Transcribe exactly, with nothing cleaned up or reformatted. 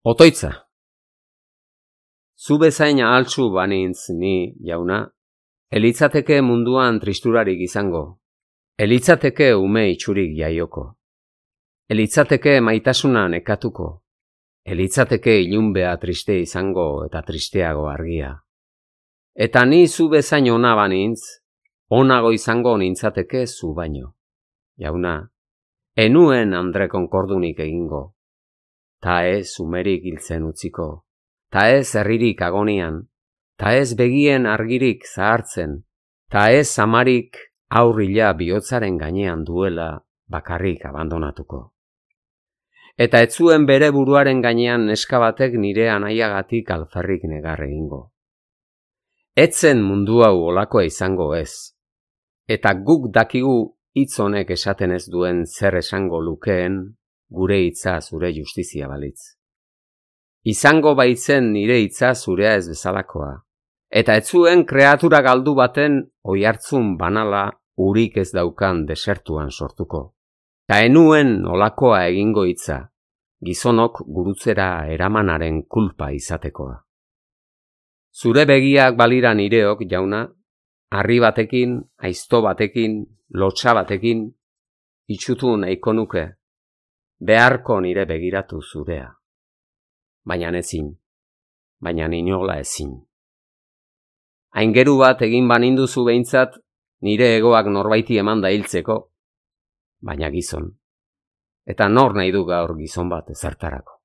Otoitza. Zu bezain ahaltsu banintz ni, jauna, elitzateke munduan tristurarik izango, elitzateke ume itxurik jaioko, elitzateke maitasuna nekatuko, elitzateke ilunbea triste izango eta tristeago argia. Eta ni zu bezain ona banintz, onago izango nintzateke zu baino. Jauna, enuen Andre Konkordunik egingo, ta ez umerik hiltzen utziko, ta ez herririk agonian, ta ez begien argirik zahartzen, ta ez amarik aurrila bihotzaren gainean duela bakarrik abandonatuko. Eta ez zuen bere buruaren gainean neska batek nire anaiagatik alferrik negar egingo. Etzen mundu hau olakoa izango ez, eta guk dakigu hitz honek esaten ez duen zer esango lukeen gure hitza zure justizia balitz. Izango baitzen nire hitza zurea ez bezalakoa, eta ez zuen kreatura galdu baten oihartzun banala urik ez daukan desertuan sortuko. Ta enuen olakoa egingo hitza, gizonok gurutzera eramanaren kulpa izatekoa. Zure begiak balira nireok, jauna, harri batekin, aizto batekin, lotsa batekin, itxutu nahiko nuke, beharko nire begiratu zurea. Baina ezin, baina inola ezin. Aingeru bat egin baninduzu behintzat, nire egoak norbaiti eman da hiltzeko, baina gizon. Eta nor nahi du gaur gizon bat ezertarako.